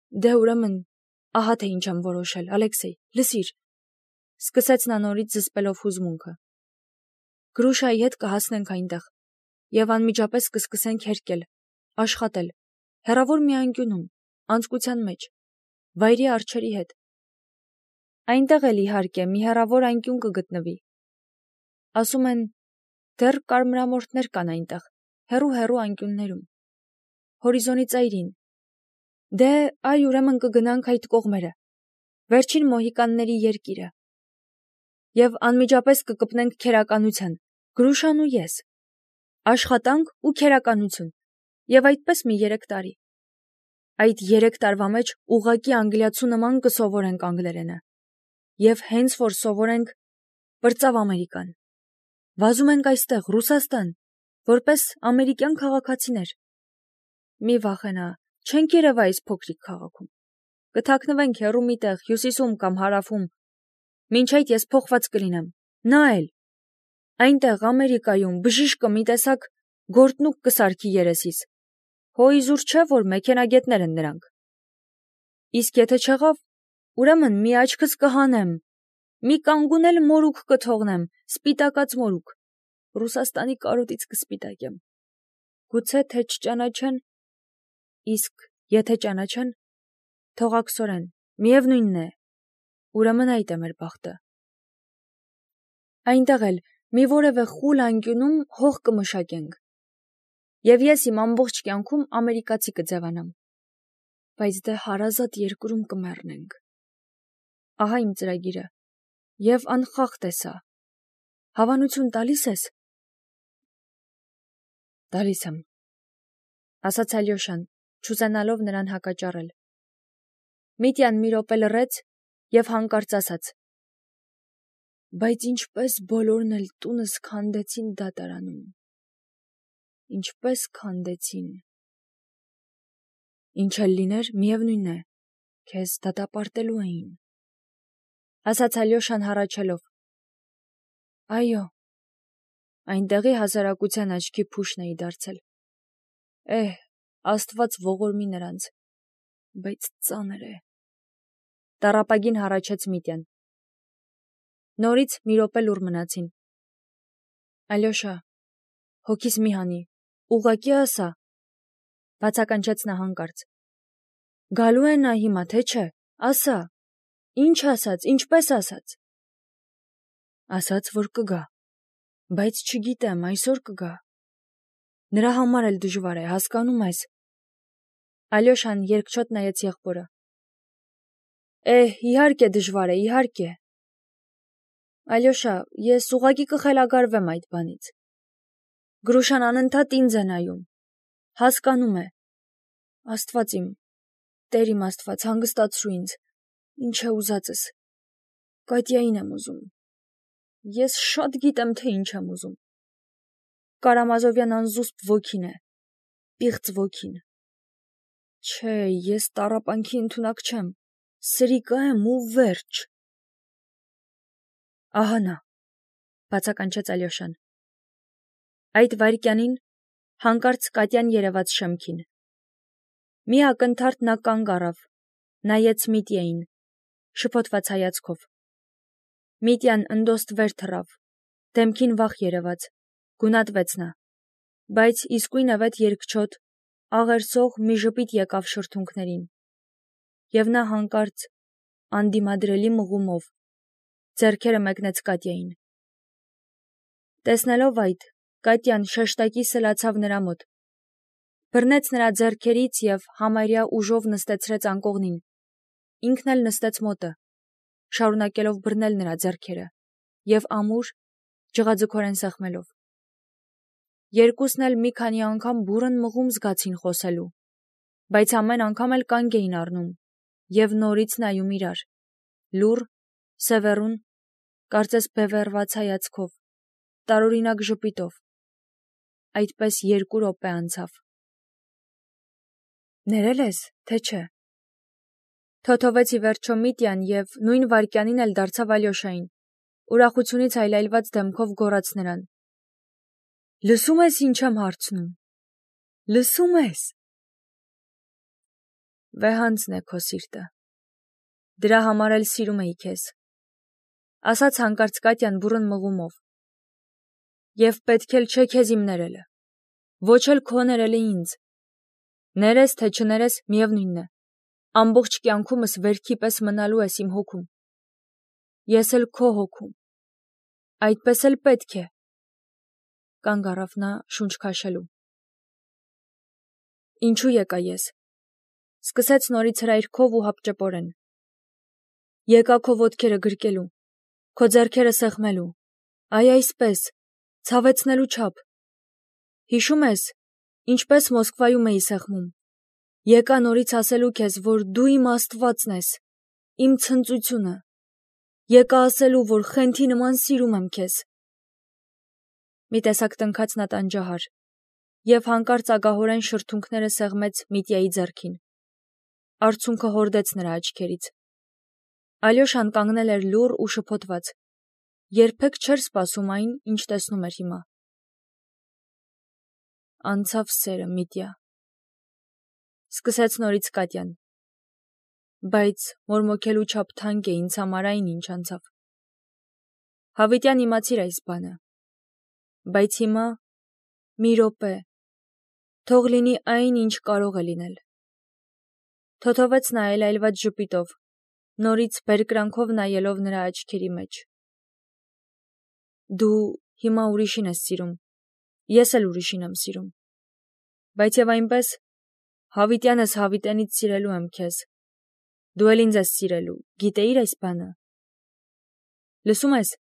Դե ուրեմն, ահա թե ինչ եմ որոշել, Ալեքսեյ, լսիր, սկսեց նա նորից զսպելով հուզմունքը։ Գրուշայի հետ կհասնենք այնտեղ, եւ անմիջապես կսկսենք հերկել, աշխատել, հեռավոր մի անկյունում, անցկության մեջ, վայրի արջերի հետ։ Այնտեղ էլ իհարկե մի հեռավոր անկյուն կգտնվի։ Ասում են, դեռ կարմրամորթներ կան այնտեղ, հեռու անկյուններում։ Հորիզոնի ծայրին։ Դե, այ ուրեմն կգնանք այդ կողմերը, վերջին մոհիկանների երկիրը։ Եվ անմիջապես կկպնենք քերականության, Գրուշան ու ես։ Աշխատանք ու քերականություն։ Եվ այդպես մի 3 տարի։ Այդ 3 տարվա մեջ ուղղակի անգլիացու նման կսովորենք անգլերենը։ Եվ հենց որ սովորենք, պրծավ Ամերիկան։ Վազում ենք այստեղ, Ռուսաստան, որպես ամերիկյան քաղաքացիներ։ Մի վախենա, չենք երևա այս փոքրիկ քաղաքում։ Կթաքնվենք հեռու մի տեղ, հյուսիսում կամ հարավում։ Մինչ այդ ես փոխված կլինեմ։ Նա էլ։ Այնտեղ Ամերիկայում բժիշկը մի տեսակ գործնուկ կսարքի երեսիս։ Հո իզուր չէ, որ մեքենագետներ են նրանք։ Իսկ եթե չեղավ, ուրեմն մի աչքս կհանեմ, մի կանգուն էլ մորուք կթողնեմ, սպիտակած մորուք։ Ռուսաստանի կարոտից կսպիտակեմ։ Գուցե թե չճանաչեն, իսկ եթե ճանաչեն, թողաքսորեն, միևնույնն է, ուրեմն այդ է մեր բախտը։ Այնտեղ էլ մի որևէ խուլ անկյունում հող կմշակենք։ Եվ ես իմ ամբողջ կյանքում ամերիկացի կձևանամ։ Բայց դե հարազատ երկրում կմեռնենք։ Ահա իմ ծրագիրը։ Եվ անխախտ է սա։ Հավանություն տալիս ես։ Տալիս եմ, ասաց Ալյոշան, չուզենալով նրան հակաճառել։ Միտյան մի րոպե լռեց եւ հանկարծ ասաց. Բայց ինչպես բոլորն էլ տունս քանդեցին դատարանում։ Ինչպես քանդեցին։ Ինչ էլ լիներ, միևնույն է, քեզ դատապարտելու էին, ասաց Ալյոշան հառաչելով։ Այո, այնտեղի հասարակության աչքի փուշն էի դարձել։ Աստված ողորմի նրանց, բայց ծանր է։ Տառապագին հառաչեց Միտյան։ Նորից մի րոպե լուռ մնացին։ Ալյոշա, հոգիս մի հանի, ուղղակի ասա, բացականչեց նա հանկարծ։ Գալու է նա հիմա, թե չէ, ասա, ինչ ասաց, ինչպես ասաց։ Ասաց, որ կգա, բայց չգիտեմ, այսօր կգա։ Նրա համար էլ դժվար է, հասկանում ես։ Ալյոշան երկչոտ նայեց եղբորը։ Իհարկե դժվար է, իհարկե։ Ալյոշա, ես ուղղակի կխելագարվեմ այդ բանից։ Գրուշան անընդհատ ինձ է նայում։ Հասկանում է։ Աստված իմ, Տեր իմ Աստված, հանգստացրու ինձ, ինչ է ուզածս։ Կատյային եմ ուզում։ Ես շատ գիտեմ, թե ինչ եմ ուզում։ Կարամազովյան անզուսպ ոգին է, պիղծ ոգին։ Չէ, ես տառապանքի ընդունակ չեմ, սրիկա եմ ու վերջ։ Ահա նա, բացականչեց Ալյոշան։ Այդ վայրկյանին հանկարծ Կատյան երևաց շեմքին։ Մի ակնթարթ նա կանգ առավ, նայեց Միտյային, շփոթված հայացքով։ Միտյան ընդոստ վեր թռավ, դեմքին վախ երևաց, գունատվեց նա, բայց իսկույնևեթ երկչոտ, աղերսող մի ժպիտ եկավ շրթունքներին, եւ նա հանկարծ, անդիմադրելի մղումով, ձեռքերը մեկնեց Կատյային։ Տեսնելով այդ, Կատյան շեշտակի սլացավ նրա մոտ, բռնեց նրա ձեռքերից եւ համարյա ուժով նստեցրեց անկողնին, ինքն էլ նստեց մոտը, շարունակելով բռնել նրա ձեռքերը եւ ամուր, ջղաձգորեն սեղմելով։ Երկուսն էլ մի քանի անգամ բուռն մղում զգացին խոսելու, բայց ամեն անգամ էլ կանգ էին առնում եւ նորից նայում իրար, լուռ, սևեռուն, կարծես բևեռված հայացքով, տարօրինակ ժպիտով։ Այդպես 2 րոպե անցավ։ Ներել ես, թե չէ։ Թոթովեց ի վերջո Միտյան եւ նույն վայրկյանին էլ դարձավ Ալյոշային, ուրախությունից այլայլված դեմքով գոռաց նրան. Լսում ես ինչ եմ հարցնում։ Լսում ես։ Վեհանձն է քո սիրտը։ Դրա համար էլ սիրում էի քեզ, ասաց հանկարծ Կատյան բուռն մղումով։ Եվ պետք էլ չէ քեզ իմ ներելը, ոչ էլ քո ներելը ինձ։ Ներես թե չներես, միևնույնն է, ամբողջ կյանքումս վերքի պես մնալու ես իմ հոգում։ Ես էլ քո հոգում։ Այդպես էլ պետք է։ Կանգ առավ նա շունչ քաշելու։ Ինչու եկա ես։ Սկսեց նորից հրայրքով ու հապճեպորեն։ Եկա քո ոտքերը գրկելու, քո ձեռքերը սեղմելու, այ այսպես, ցավեցնելու չափ։ Հիշում ես, ինչպես Մոսկվայում էի սեղմում։ Եկա նորից ասելու քեզ, որ դու իմ Աստվածն ես, իմ ցնծությունը։ Եկա ասելու, որ խենթի նման սիրում եմ քեզ։ Մի տեսակ տնքաց նա տանջահար, և հանկարծ ագահորեն շրթունքները սեղմեց Միտյայի ձեռքին։ Արցունքը հորդեց նրա աչքերից։ Ալյոշան կանգնել էր լուռ ու շփոթված, երբեք չէր սպասում այն, ինչ տեսնում էր հիմա։ Անցավ սերը, Միտյա, սկսեց նորից Կատյան, բայց մորմոքելու չափ թանկ է ինձ համար այն, ինչ անցավ։ Հավիտյան իմացիր այս բանը, բայց հիմա մի րոպե, թող լինի այն, ինչ կարող է լինել։ Թոթովեց նա այլայլված ժպիտով, նորից բերկրանքով նայելով նրա աչքերի մեջ։ Դու հիմա ուրիշին ես սիրում, ես էլ ուրիշին եմ սիրում, բայց և այնպես, հավիտյան ես հավիտենից սիրելու եմ քեզ, դու էլ ինձ ես սիրելու, գիտեիր այս բանը։ Լսում ես,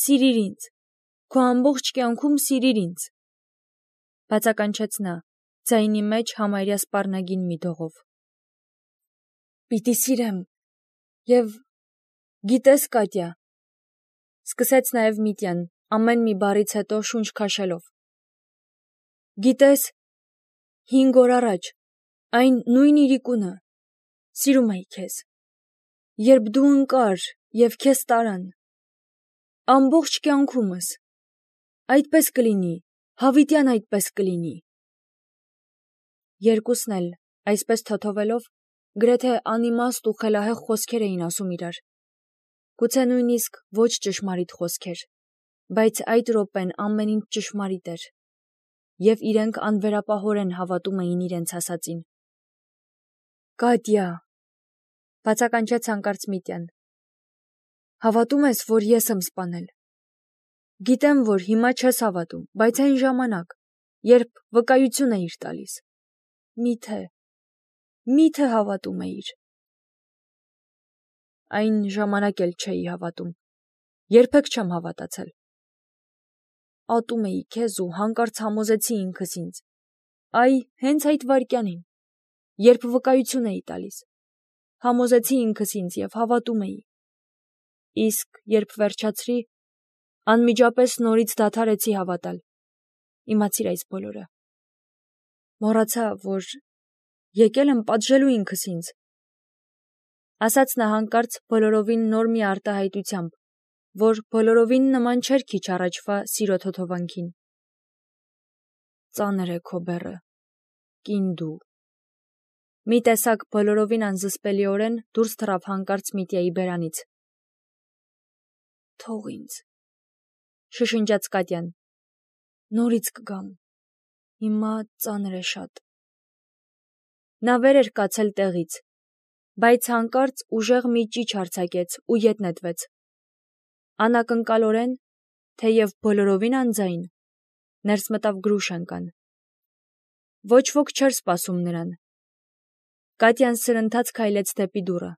սիրիր ինձ, քո ամբողջ կյանքում սիրիր ինձ, բացականչեց նա, ձայնի մեջ համարյա սպառնագին մի դողով։ Պիտի սիրեմ, և գիտես, Կատյա, սկսեց նաև Միտյան, ամեն մի բառից հետո շունչ քաշելով։ Գիտես, 5 օր առաջ, այն նույն իրիկունը, սիրում էի քեզ, երբ դու ընկար և քեզ տարան, ամբողջ կյանքումս, այդպես կլինի, հավիտյան այդպես կլինի։ Երկուսն էլ, այսպես թոթովելով, գրեթե անիմաստ ու խելահեղ խոսքեր էին ասում իրար։ Գուցե նույնիսկ ոչ ճշմարիտ խոսքեր, բայց այդ րոպեն ամեն ինչ ճշմարիտ էր, և իրենք անվերապահորեն հավատում էին իրենց ասածին։ Կատյա, բացականչեց հանկարծ Միտյան, հավատում ես, որ ես եմ սպանել։ Գիտեմ, որ հիմա չես հավատում, բայց այն ժամանակ, երբ վկայություն էիր տալիս, միթե հավատում էիր։ Այն ժամանակ էլ չէի հավատում, երբեք չեմ հավատացել։ Ատում էի քեզ ու հանկարծ համոզեցի ինքս ինձ, այ հենց այդ վայրկյանին, երբ վկայություն էի տալիս, համոզեցի ինքս ինձ և հավատում էի։ Իսկ երբ վերջացրի, անմիջապես նորից դադարեցի հավատալ։ Իմացիր այս բոլորը։ Մոռացա, որ եկել եմ պատժելու ինքս ինձ, ասաց նա հանկարծ բոլորովին նոր մի արտահայտությամբ, որ բոլորովին նման չէր քիչ առաջվա սիրո թոթովանքին։ Ծանր է քո բեռը, կին դու։ Մի տեսակ բոլորովին անզսպելիորեն դուրս թռավ հանկարծ Միտյայի բերանից։ Թող ինձ, շշնջաց Կատյան, նորից կգամ, հիմա ծանր է շատ։ Նա վեր էր կացել տեղից, բայց հանկարծ ուժեղ մի ճիչ արձակեց ու ետ նետվեց։ Անակնկալորեն, թեև բոլորովին անձայն, ներս մտավ Գրուշենկան։ Ոչ ոք չէր սպասում նրան։ Կատյան սրընթաց քայլեց դեպի դուռը,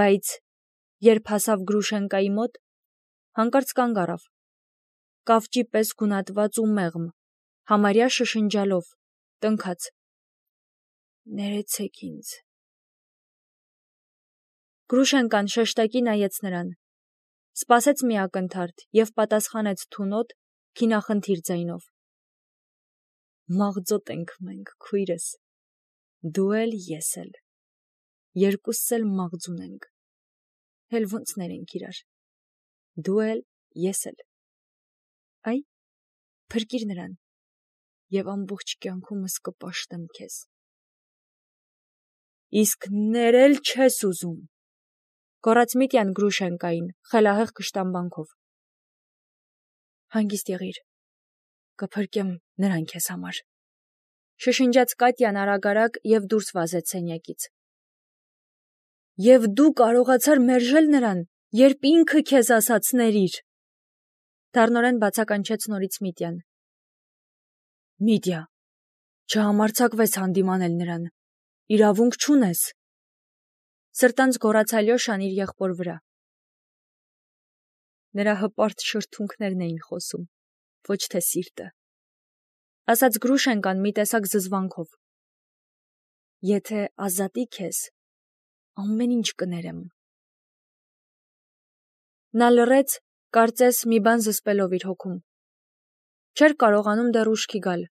բայց երբ հասավ Գրուշենկայի մոտ, հանկարծ կանգ առավ, կավճի պես գունատված ու մեղմ, համարյա շշնջալով, տնքաց. Ներեցեք ինձ։ Գրուշենկան շեշտակի նայեց նրան, սպասեց մի ակնթարթ և պատասխանեց թունոտ, քինախնդիր ձայնով. Մաղձոտ ենք մենք, քույրս, դու էլ, ես էլ, երկուսս էլ մաղձուն ենք, էլ ոնց ներենք իրար, դու էլ, ես էլ, այ, փրկիր նրան, և ամբողջ կյանքումս կպաշտեմ քեզ։ Իսկ ներել չես ուզում, գոռաց Միտյան Գրուշենկային, խելահեղ կշտամբանքով։ Հանգիստ եղիր, կփրկեմ նրան քեզ համար, շշնջաց Կատյան արագ և դուրս վազեց սենյակից։ Եվ դու կարողացար մերժել նրան, երբ ինքը քեզ ասաց ներիր, դառնորեն բացականչեց նորից Միտյան։ Միտյա, չհամարձակվես հանդիմանել նրան, իրավունք չունես, սրտանց գոռաց Ալյոշան իր եղբոր վրա։ Նրա հպարտ շրթունքներն էին խոսում, ոչ թե սիրտը, ասաց Գրուշենկան մի տեսակ զզվանքով։ Եթե ազատի քեզ, ամեն ինչ կներեմ։ Նա լռեց, կարծես մի բան զսպելով իր հոգում։ Չէր կարողանում դեռ ուշքի գալ։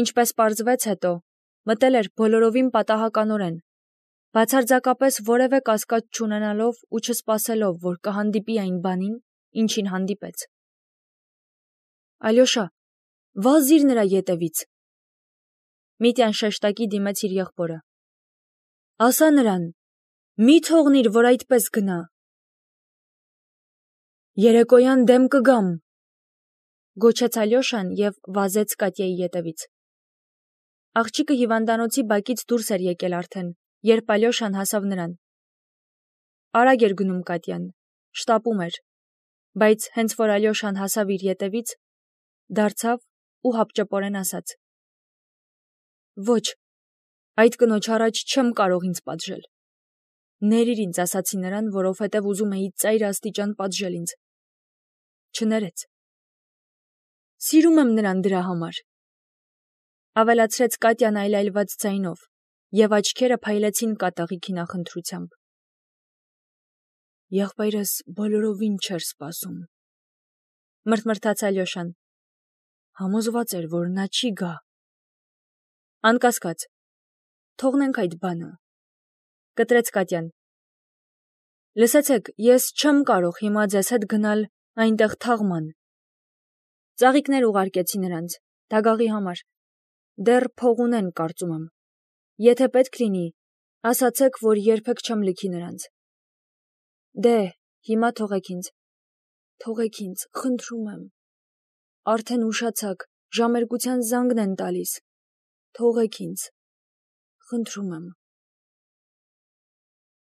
Ինչպես պարզվեց հետո, մտել էր բոլորովին պատահականորեն, բացարձակապես որևէ կասկած չունենալով ու չսպասելով, որ կհանդիպի այն բանին, ինչին հանդիպեց։ Ալյոշա, վազիր նրա ետևից։ Միտյան շեշտակի դիմեց իր եղբորը։ Ասա նրան, մի թողնիր, որ այդպես գնա։ Երեկոյան դեմ կգամ, գոչեց Ալյոշան և վազեց Կատյայի ետևից։ Աղջիկը հիվանդանոցի բակից դուրս էր եկել արդեն, երբ Ալյոշան հասավ նրան։ Արագ էր գնում Կատյան, շտապում էր, բայց հենց որ Ալյոշան հասավ իր ետևից, դարձավ ու հապճեպորեն ասաց. Ոչ, այդ կնոջ առաջ չեմ կարող ինձ պատժել։ Ներիր ինձ, ասացի նրան, որովհետև ուզում էի ծայր աստիճան պատժել ինձ։ Չներեց։ Սիրում եմ նրան դրա համար, ավելացրեց Կատյան այլայլված ձայնով, և աչքերը փայլեցին կատաղի քինախնդրությամբ։ Եղբայրս բոլորովին չէր սպասում, մրթմրթաց Ալյոշան։ Համոզված էր, որ նա չի գա։ Անկասկած, թողնենք այդ բանը, կտրեց Կատյան։ Լսեցեք, ես չեմ կարող հիմա ձեզ հետ գնալ այնտեղ թաղման։ Ծաղիկներ ուղարկեցի նրանց, դագաղի համար։ Դեռ փող ունեն, կարծում եմ։ Եթե պետք լինի, ասացեք, որ երբեք չեմ լքի նրանց։ Դե, հիմա թողեք ինձ։ Թողեք ինձ, խնդրում եմ։ Արդեն ուշացաք, ժամերկության զանգն են տալիս։ Թողեք ինձ, խնդրում եմ։